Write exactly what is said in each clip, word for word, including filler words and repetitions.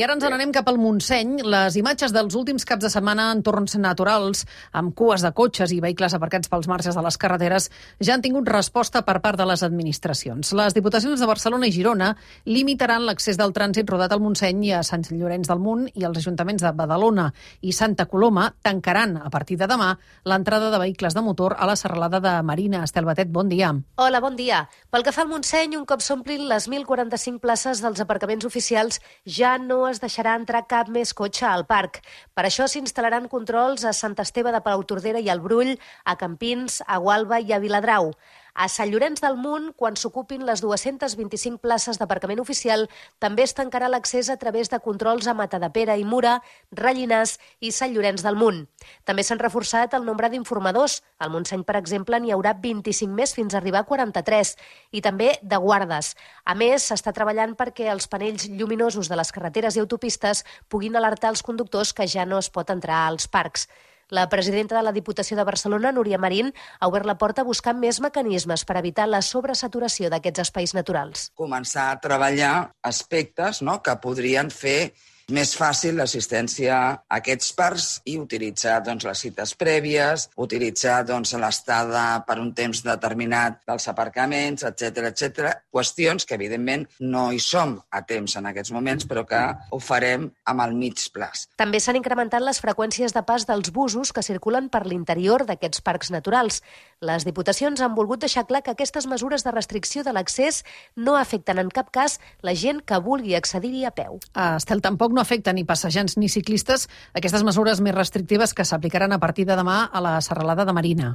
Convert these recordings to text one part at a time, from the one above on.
I ara ens n'anem cap al Montseny. Les imatges dels últims caps de setmana en entorns naturals, amb cues de cotxes i vehicles aparcats pels marges de les carreteres, ja han tingut resposta per part de les administracions. Les diputacions de Barcelona i Girona limitaran l'accés del trànsit rodat al Montseny i a Sant Llorenç del Munt, i els ajuntaments de Badalona i Santa Coloma tancaran a partir de demà l'entrada de vehicles de motor a la serralada de Marina. Estel Batet, bon dia. Hola, bon dia. Pel que fa al Montseny, un cop s'omplin les mil quaranta-cinc places dels aparcaments oficials, ja no es deixarà entrar cap més cotxe al parc. Per això s'instal·laran controls a Sant Esteve de Palautordera i al Brull, a Campins, a Gualba i a Viladrau. A Sant Llorenç del Munt, quan s'ocupin les dues-centes vint-i-cinc places d'aparcament oficial, també es tancarà l'accés a través de controls a Matadepera i Mura, Rellinars i Sant Llorenç del Munt. També s'han reforçat el nombre d'informadors. Al Montseny, per exemple, n'hi haurà vint-i-cinc més fins a arribar a quaranta-tres, i també de guardes. A més, s'està treballant perquè els panells lluminosos de les carreteres i autopistes puguin alertar els conductors que ja no es pot entrar als parcs. La presidenta de la Diputació de Barcelona, Núria Marín, ha obert la porta a buscar més mecanismes per evitar la sobresaturació d'aquests espais naturals. Començar a treballar aspectes, no?, que podrien fer més fàcil l'assistència a aquests parcs i utilitzar doncs, les cites prèvies, utilitzar doncs, l'estada per un temps determinat dels aparcaments, etcètera, etcètera. Qüestions que, evidentment, no hi som a temps en aquests moments, però que ho farem amb el mig plaç. També s'han incrementat les freqüències de pas dels busos que circulen per l'interior d'aquests parcs naturals. Les diputacions han volgut deixar clar que aquestes mesures de restricció de l'accés no afecten en cap cas la gent que vulgui accedir-hi a peu. Ah, Estel, tampoc no afecten ni passejants ni ciclistes aquestes mesures més restrictives que s'aplicaran a partir de demà a la serralada de Marina.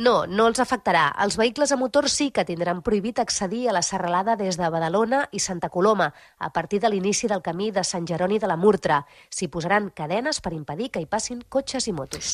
No, no els afectarà. Els vehicles a motor sí que tindran prohibit accedir a la serralada des de Badalona i Santa Coloma, a partir de l'inici del camí de Sant Jeroni de la Murtra. S'hi posaran cadenes per impedir que hi passin cotxes i motos.